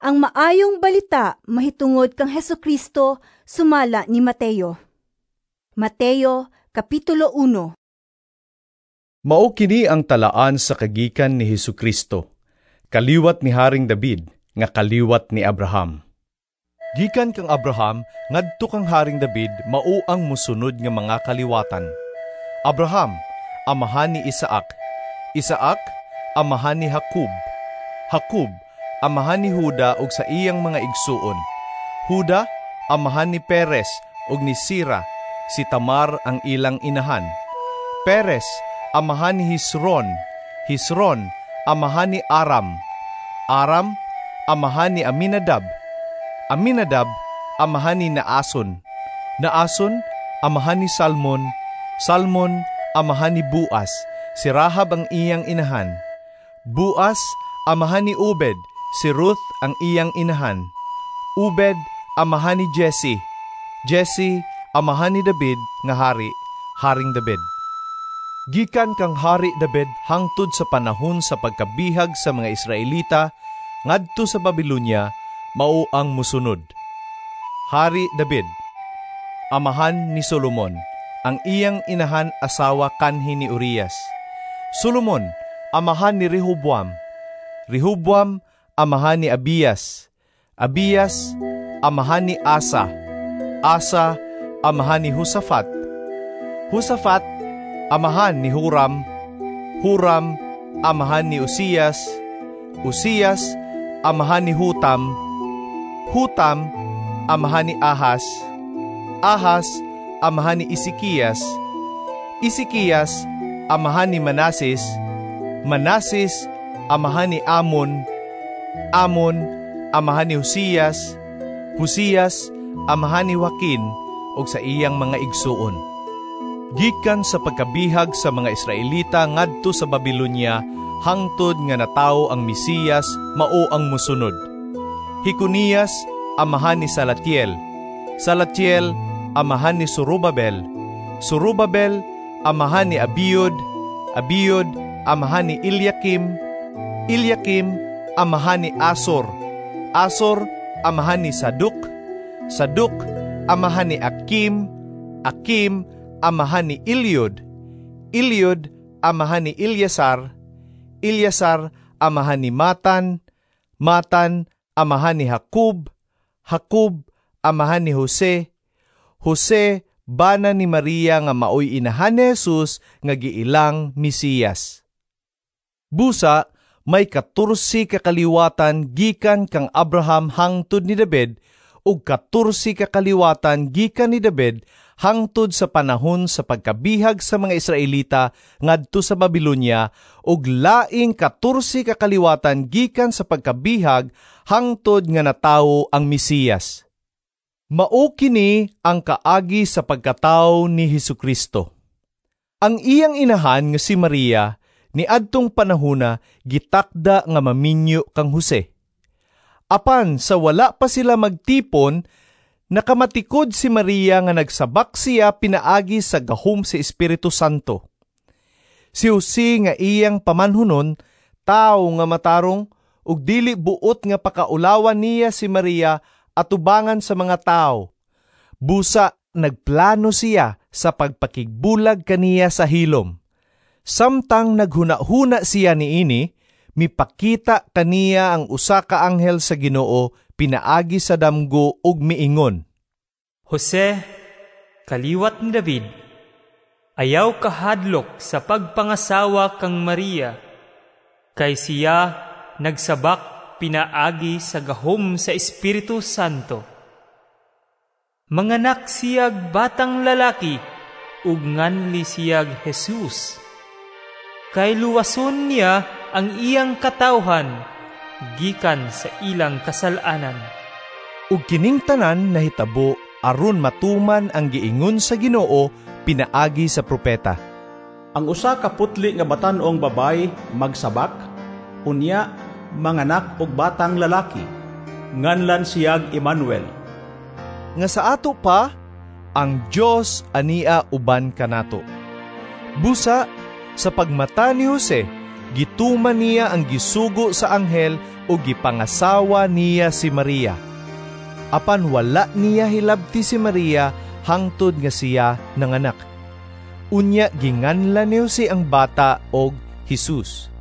Ang Maayong Balita mahitungod kang Hesukristo sumala ni Mateo. Mateo, Kapitulo 1. Mao kini ang talaan sa kagikan ni Hesukristo, kaliwat ni Haring David, nga kaliwat ni Abraham. Gikan kang Abraham ngadto kang Haring David mao ang mosunod nga mga kaliwatan. Abraham, amahan ni Isaac. Isaac, amahan ni Jacob. Jacob, amahan ni Huda ug sa iyang mga igsuon. Huda, amahan ni Perez ug ni Sira, si Tamar ang ilang inahan. Perez, amahan ni Hezron. Hezron, amahan ni Aram. Aram, amahan ni Aminadab. Aminadab, amahan ni Naason. Naason, amahan ni Salmon. Salmon, amahan ni Boaz. Si Rahab ang iyang inahan. Boaz, amahan ni Obed. Si Ruth ang iyang inahan. Obed, amahan ni Jesse. Jesse, amahan ni David nga hari, Haring David. Gikan kang Hari David hangtod sa panahon sa pagkabihag sa mga Israelita ngadto sa Babilonia mao ang musunod. Hari David, amahan ni Solomon, ang iyang inahan asawa kanhi ni Urias. Solomon, amahan ni Rehoboam. Rehoboam, amahan ni Abias. Abias, amahan ni Asa. Asa, amahan ni Josafat. Josafat, amahan ni Huram. Huram, amahan ni Uzias. Uzias, amahan ni Hutam. Hutam, amahan ni Ahas. Ahas, amahan ni Ezekias. Ezekias, amahan ni Manases. Manases, amahan ni Amon. Amon, amahan ni Josias. Josias, amahan ni Joaquin ug sa iyang mga igsuon. Gikan sa pagkabihag sa mga Israelita ngadto sa Babilonia hangtod nga natawo ang Mesiyas mao ang mosunod. Jeconías, amahan ni Salatiel. Salatiel, amahan ni Zorobabel. Zorobabel, amahan ni Abiud. Abiud, amahan ni Eliakim. Eliakim, amahan ni Asor. Asor, amahan ni Sadok. Sadok, amahan ni Akim. Akim, amahan ni Eliud. Eliud, amahan ni Eleazar. Eleazar, amahan ni Matan. Matan, amahan ni Jacob. Jacob, amahan ni Jose. Jose, bana ni Maria nga maoy inahan ni Jesus nga giilang Mesiyas. Busa, may 14 ka kaliwatan gikan kang Abraham hangtod ni David ug 14 ka kaliwatan gikan ni David hangtod sa panahon sa pagkabihag sa mga Israelita ngadto sa Babilonia ug laing 14 ka kaliwatan gikan sa pagkabihag hangtod nga natawo ang Mesiyas. Mao kini ang kaagi sa pagkatawo ni Hesukristo. Ang iyang inahan nga si Maria niadtong panahona gitakda nga maminyo kang Jose. Apan sa wala pa sila magtipon, nakamatikod si Maria nga nagsabak siya pinaagi sa gahom sa Espiritu Santo. Si Jose nga iyang pamanhunon, tawo nga matarong, ug dili buot nga pakaulawan niya si Maria atubangan sa mga tao. Busa nagplano siya sa pagpakigbulag kaniya sa hilom. Samtang naghuna-huna siya niini, mipakita kaniya ang usa ka anghel sa Ginoo pinaagi sa damgo ug miingon, Jose, kaliwat ni David, ayaw kahadlok sa pagpangasawa kang Maria, kay siya nagsabak pinaagi sa gahom sa Espiritu Santo. Manganak siyag batang lalaki, ug nganli siyag Jesus. Kay luwason niya ang iyang katawhan gikan sa ilang kasalanan. Ug kining tanan nahitabo aron matuman ang giingon sa Ginoo pinaagi sa propeta. Ang usa ka putli nga batan-ong babay magsabak, unya manganak og batang lalaki, nganlan siyag Emmanuel. Nga sa ato pa, ang Dios ania uban kanato. Busa, sa pagmata ni Jose, Gituman niya ang gisugo sa anghel ug gipangasawa niya si Maria. Apan wala niya hilabti si Maria hangtod nga siya nanganak. Unya ginganlan ni Jose ang bata og Jesus.